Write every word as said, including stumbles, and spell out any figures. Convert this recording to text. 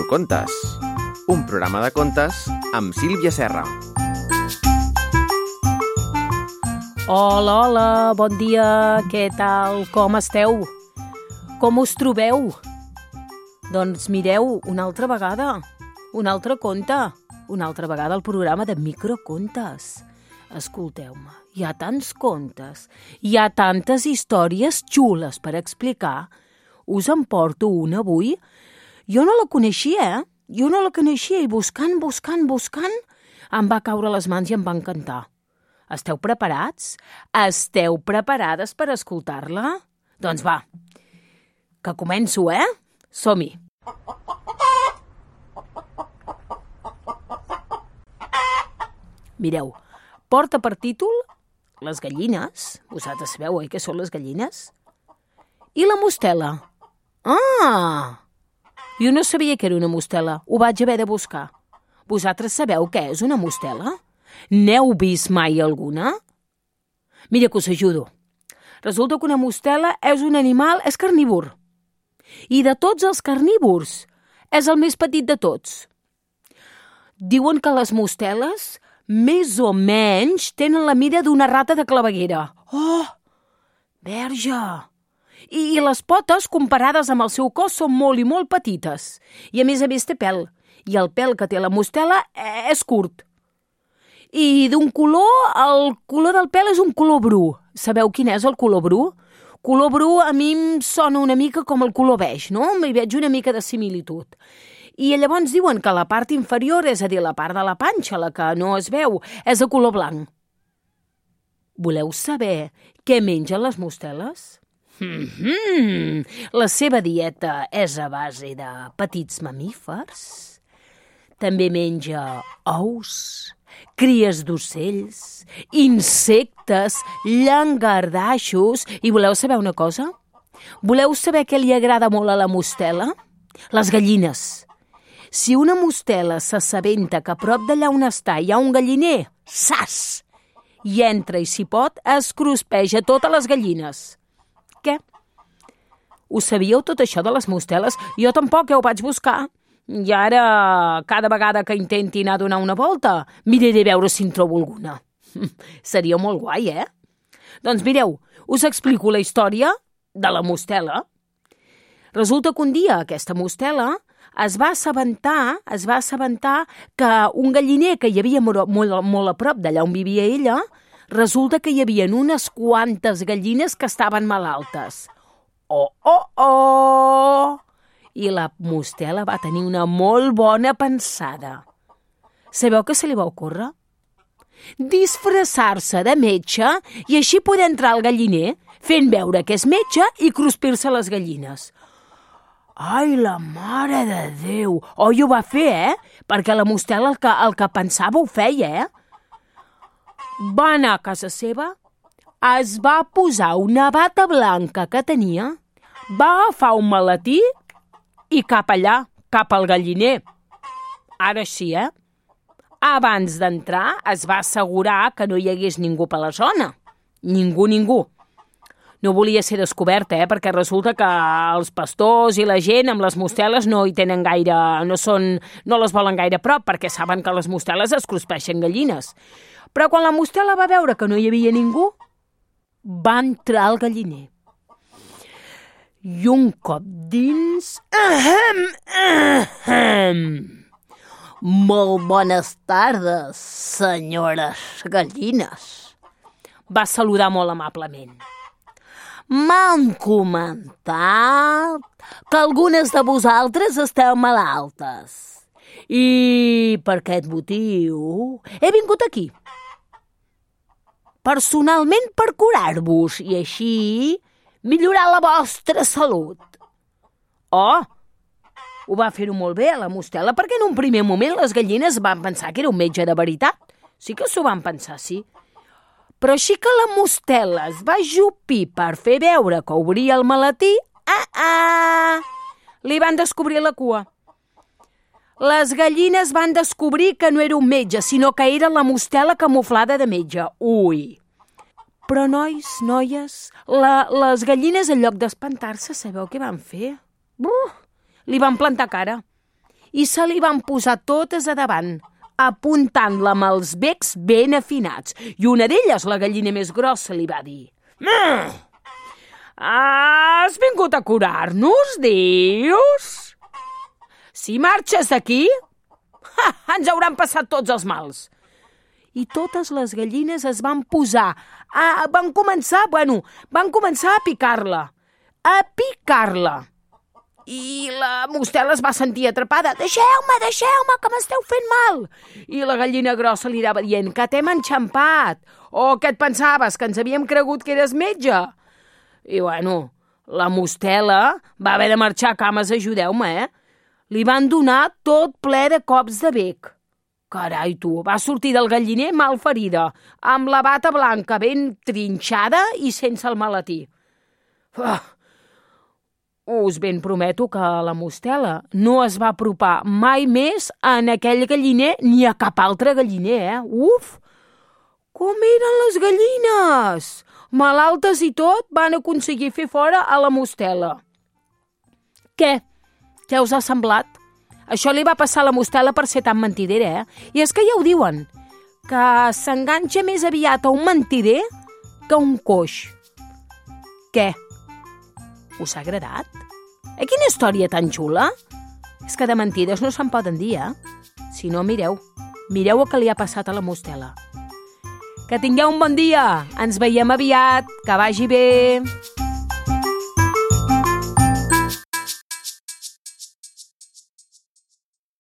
Microcontes, un programa de contes amb Sílvia Serra. Hola, hola, bon dia, què tal, com esteu? Com us trobeu? Doncs mireu, una altra vegada, un altre conte, una altra vegada el programa de Microcontes. Escolteu-me, hi ha tants contes, hi ha tantes històries xules per explicar. Us en porto una avui. Jo no la coneixia, eh? Jo no la coneixia i buscant, buscant, buscant, em va caure a les mans i em va encantar. Esteu preparats? Esteu preparades per escoltar-la? Doncs va, que començo, eh? Som-hi! Mireu, porta per títol Les gallines. Vosaltres sabeu, oi, què són les gallines? I la mostela. Ah! Jo no sabia que era una mostela. Ho vaig haver de buscar. Vosaltres sabeu què és una mostela? N'heu vist mai alguna? Mira que us ajudo. Resulta que una mostela és un animal, és carnívor. I de tots els carnívors, és el més petit de tots. Diuen que les mosteles, més o menys, tenen la mida d'una rata de claveguera. Oh! Verge! I les potes, comparades amb el seu cos, són molt i molt petites. I a més a més té pèl. I el pèl que té la mostela és curt. I d'un color, el color del pèl és un color bru. Sabeu quin és el color bru? Color bru a mi em sona una mica com el color beix, no? M'hi veig una mica de similitud. I llavors diuen que la part inferior, és a dir, la part de la panxa, la que no es veu, és de color blanc. Voleu saber què mengen les mosteles? Mm-hmm. La seva dieta és a base de petits mamífers. També menja ous, cries d'ocells, insectes, llangardaixos. I voleu saber una cosa? Voleu saber què li agrada molt a la mostela? Les gallines. Si una mostela s'assabenta que a prop d'allà on està hi ha un galliner, sas! I entra i si pot, es cruspeja totes les gallines. Què? Ho sabíeu tot això de les mosteles? Jo tampoc, ja ho vaig buscar. I ara, cada vegada que intenti anar a donar una volta, miraré a veure si en trobo alguna. Seria molt guai, eh? Doncs mireu, us explico la història de la mostela. Resulta que un dia aquesta mostela es va assabentar, es va assabentar que un galliner que hi havia molt, molt, molt a prop d'allà on vivia ella, resulta que hi havia unes quantes gallines que estaven malaltes. Oh, oh, oh! I la mostela va tenir una molt bona pensada. Sabeu què se li va ocórrer? Disfressar-se de metge i així poder entrar al galliner fent veure que és metge i cruspir-se les gallines. Ai, la mare de Déu! Oi, ho va fer, eh? Perquè la mostela el que, el que pensava ho feia, eh? Va anar a casa seva, es va posar una bata blanca que tenia, va agafar un maletí i cap allà, cap al galliner. Ara sí, eh? Abans d'entrar es va assegurar que no hi hagués ningú per la zona. Ningú, ningú. No volia ser descoberta, eh? Perquè resulta que els pastors i la gent amb les mosteles no hi tenen gaire, no són, no les volen gaire a prop, perquè saben que les mosteles es cruspeixen gallines. Però quan la mostela va veure que no hi havia ningú, va entrar al galliner. I un cop dins... Ahem, ahem. Molt bones tardes, senyores gallines. Va saludar molt amablement. M'han comentat que algunes de vosaltres esteu malaltes. I per aquest motiu he vingut aquí. Personalment per curar-vos i així millorar la vostra salut. Oh, ho va fer-ho molt bé a la mostela perquè en un primer moment les gallines van pensar que era un metge de veritat. Sí que s'ho van pensar, sí. Però així que la mostela es va ajupir per fer veure que obria el maletí, ah, ah, li van descobrir la cua. Les gallines van descobrir que no era un metge, sinó que era la mostela camuflada de metge. Ui! Però, nois, noies, la, les gallines, en lloc d'espantar-se, sabeu què van fer? Buf! Li van plantar cara. i se li van posar totes a davant, apuntant-la amb els becs ben afinats. I una d'elles, la gallina més grossa, li va dir: mm, has vingut a curar-nos, dius? Si marxes d'aquí, ens hauran passat tots els mals. I totes les gallines es van posar, a, van començar, bueno, van començar a picar-la, a picar-la. I la mostela es va sentir atrapada. Deixeu-me, deixeu-me, que m'esteu fent mal. I la gallina grossa li anava dient: que t'hem enxampat. O què et pensaves, que ens havíem cregut que eres metge? I bueno, la mostela va haver de marxar a cames, ajudeu-me, eh? Li van donar tot ple de cops de bec. Carai, tu, va sortir del galliner mal ferida, amb la bata blanca ben trinxada i sense el maletí. Ah, us ben prometo que la mostela no es va apropar mai més en aquell galliner ni a cap altre galliner, eh? Uf! Com eren les gallines! Malaltes i tot, van aconseguir fer fora a la mostela. Què? Què us ha semblat? Això li va passar a la mostela per ser tan mentidera, eh? I és que ja ho diuen, que s'enganxa més aviat a un mentider que a un coix. Què? Us ha agradat? Eh, quina història tan xula? És que de mentides no se'n poden dir, eh? Si no, mireu. Mireu el que li ha passat a la mostela. Que tingueu un bon dia. Ens veiem aviat. Que vagi bé.